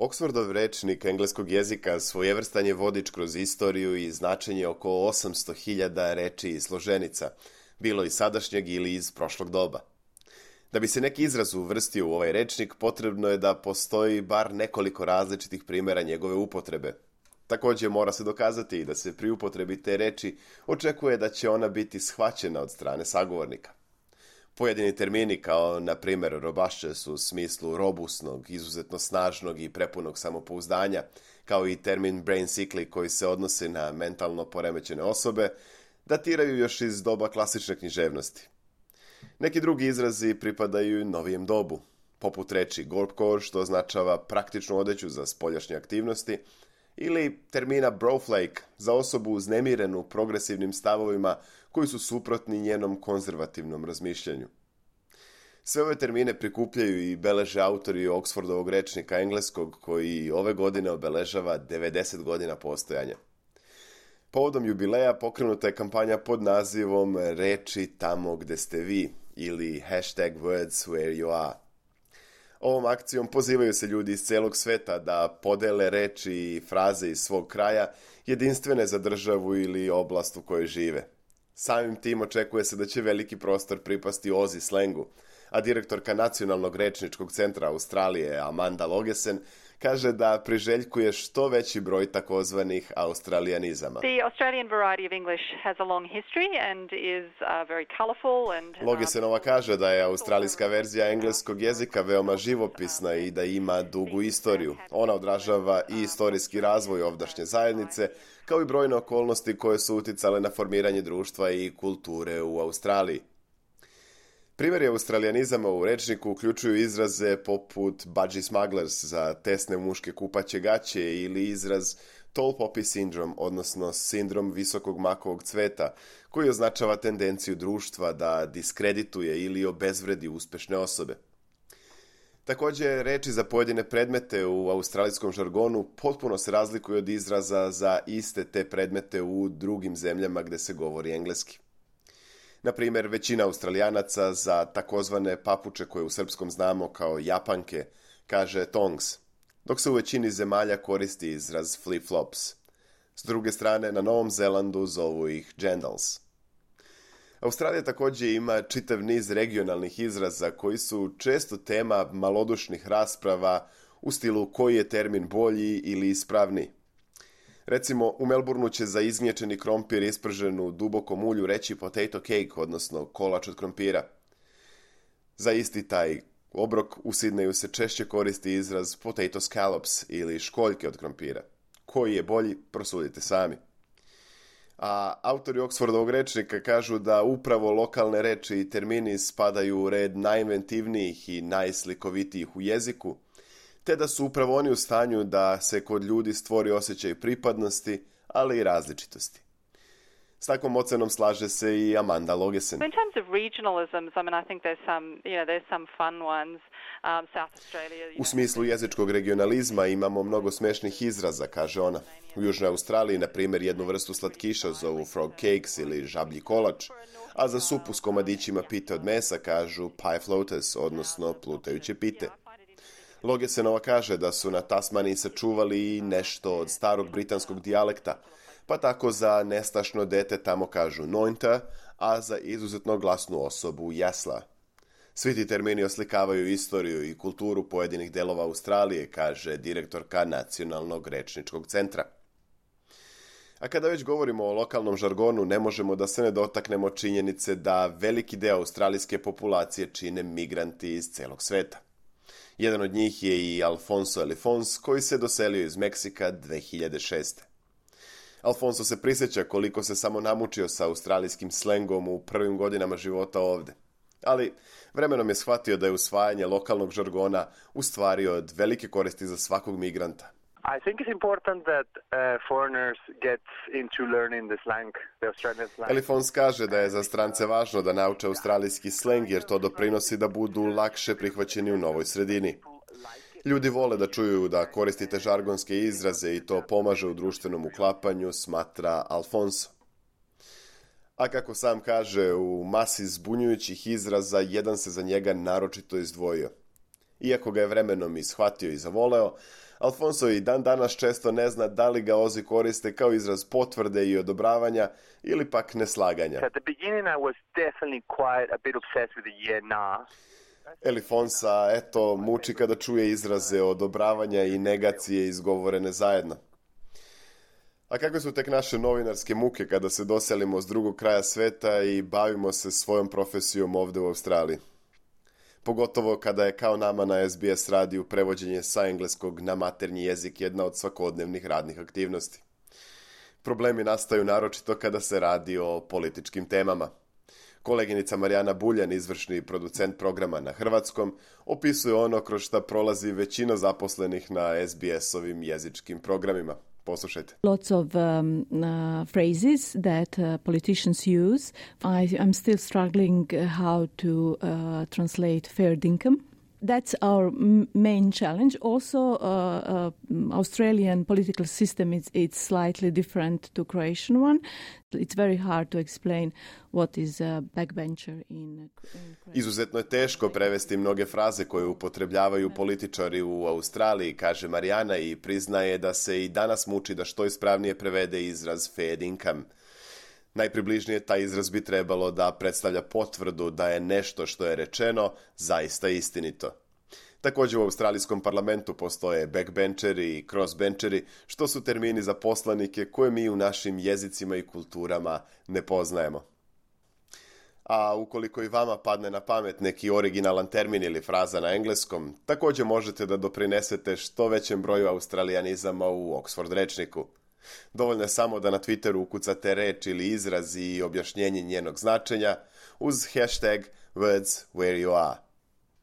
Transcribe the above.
Oxfordov rečnik engleskog jezika svojevrstan je vodič kroz istoriju i značenje oko 800.000 reči i složenica, bilo iz sadašnjeg ili iz prošlog doba. Da bi se neki izraz uvrstio u ovaj rečnik, potrebno je da postoji bar nekoliko različitih primjera njegove upotrebe. Također mora se dokazati da se pri upotrebi te reči očekuje da će ona biti shvaćena od strane sagovornika. Pojedini termini kao, na primjer, robustious u smislu robusnog, izuzetno snažnog i prepunog samopouzdanja, kao i termin brain sickly koji se odnosi na mentalno poremećene osobe, datiraju još iz doba klasične književnosti. Neki drugi izrazi pripadaju novijem dobu, poput reči gorpcore, što označava praktičnu odeću za spoljašnje aktivnosti, ili termina broflake za osobu uznemirenu progresivnim stavovima koji su suprotni njenom konzervativnom razmišljanju. Sve ove termine prikupljaju i beleže autori Oxfordovog rečnika engleskog koji ove godine obeležava 90 godina postojanja. Povodom jubileja pokrenuta je kampanja pod nazivom Reči tamo gde ste vi ili #words where you are. Ovom akcijom pozivaju se ljudi iz celog sveta da podele reči i fraze iz svog kraja jedinstvene za državu ili oblast u kojoj žive. Samim tim očekuje se da će veliki prostor pripasti Aussie slengu, a direktorka Nacionalnog rečničkog centra Australije Amanda Logesen kaže da priželjkuje što veći broj takozvanih australijanizama. The Australian variety of English has a long history and is very colorful and Logesenova kaže da je australijska verzija engleskog jezika veoma živopisna i da ima dugu istoriju. Ona odražava i istorijski razvoj ovdašnje zajednice, kao i brojne okolnosti koje su uticale na formiranje društva i kulture u Australiji. Primjeri australijanizama u rečniku uključuju izraze poput budgie smugglers za tesne muške kupaće gaće ili izraz tall poppy syndrome, odnosno sindrom visokog makovog cveta, koji označava tendenciju društva da diskredituje ili obezvredi uspešne osobe. Također, reči za pojedine predmete u australijskom žargonu potpuno se razlikuju od izraza za iste te predmete u drugim zemljama gde se govori engleski. Na primjer, većina Australijanaca za takozvane papuče koje u srpskom znamo kao japanke kaže tongs, dok se u većini zemalja koristi izraz flip-flops. S druge strane, na Novom Zelandu zovu ih jandals. Australija također ima čitav niz regionalnih izraza koji su često tema malodušnih rasprava u stilu koji je termin bolji ili ispravniji. Recimo, u Melbourneu će za izgnječeni krompir ispržen u dubokom ulju reći potato cake, odnosno kolač od krompira. Za isti taj obrok u Sidneju se češće koristi izraz potato scallops ili školjke od krompira. Koji je bolji, prosudite sami. A autori Oxfordovog rečnika kažu da upravo lokalne reči i termini spadaju u red najinventivnijih i najslikovitijih u jeziku, te da su upravo oni u stanju da se kod ljudi stvori osjećaj pripadnosti, ali i različitosti. S takvom ocenom slaže se i Amanda Logesen. In terms of regionalisms, I mean, I think there's some fun ones. South Australia. U smislu jezičkog regionalizma imamo mnogo smešnih izraza, kaže ona. U Južnoj Australiji, na primjer, jednu vrstu slatkiša zovu frog cakes ili žablji kolač, a za supu s komadićima pite od mesa kažu pie floaters, odnosno plutajuće pite. Logesenova kaže da su na Tasmaniji sačuvali i nešto od starog britanskog dijalekta, pa tako za nestašno dete tamo kažu nointa, a za izuzetno glasnu osobu jasla. Svi ti termini oslikavaju istoriju i kulturu pojedinih delova Australije, kaže direktorka Nacionalnog rečničkog centra. A kada već govorimo o lokalnom žargonu, ne možemo da se ne dotaknemo činjenice da veliki deo australijske populacije čine migranti iz celog sveta. Jedan od njih je i Alfonso Elifons, koji se doselio iz Meksika 2006. Alfonso se prisjeća koliko se samo namučio sa australijskim slengom u prvim godinama života ovde. Ali vremenom je shvatio da je usvajanje lokalnog žargona u stvari od velike koristi za svakog migranta. I think it's important that foreigners get into learning the slang, the Australian slang. Elifons kaže da je za strance važno da nauče australijski sleng jer to doprinosi da budu lakše prihvaćeni u novoj sredini. Ljudi vole da čuju da koristite žargonske izraze i to pomaže u društvenom uklapanju, smatra Alfonso. A kako sam kaže, u masi zbunjujućih izraza jedan se za njega naročito izdvojio. Iako ga je vremenom i shvatio i zavoleo, Alfonso i dan danas često ne zna da li ga Ozi koriste kao izraz potvrde i odobravanja ili pak neslaganja. At the beginning I was definitely quite a bit obsessed with the yeah, nah. Elifonsa, eto, muči kada čuje izraze odobravanja i negacije izgovorene zajedno. A kako su tek naše novinarske muke kada se doselimo s drugog kraja sveta i bavimo se svojom profesijom ovdje u Australiji? Pogotovo kada je kao nama na SBS radiju prevođenje sa engleskog na maternji jezik jedna od svakodnevnih radnih aktivnosti. Problemi nastaju naročito kada se radi o političkim temama. Koleginica Marijana Buljan, izvršni producent programa na hrvatskom, opisuje ono kroz šta prolazi većina zaposlenih na SBS-ovim jezičkim programima. Poslušajte. Lots of phrases that politicians use. I'm still struggling how to translate fair dinkum. That's our main challenge. Also, Australian political system it's slightly different to Croatian one. It's very hard to explain what is a backbencher in Izuzetno je teško prevesti mnoge fraze koje upotrebljavaju političari u Australiji, kaže Marijana i priznaje da se i danas muči da što ispravnije prevede izraz fair income. Najpribližnije taj izraz bi trebalo da predstavlja potvrdu da je nešto što je rečeno zaista istinito. Također u australijskom parlamentu postoje backbencheri i crossbencheri, što su termini za poslanike koje mi u našim jezicima i kulturama ne poznajemo. A ukoliko i vama padne na pamet neki originalan termin ili fraza na engleskom, također možete da doprinesete što većem broju australijanizama u Oxford rečniku. Dovoljno je samo da na Twitteru ukucate reč ili izraz i objašnjenje njenog značenja uz hashtag words where you are.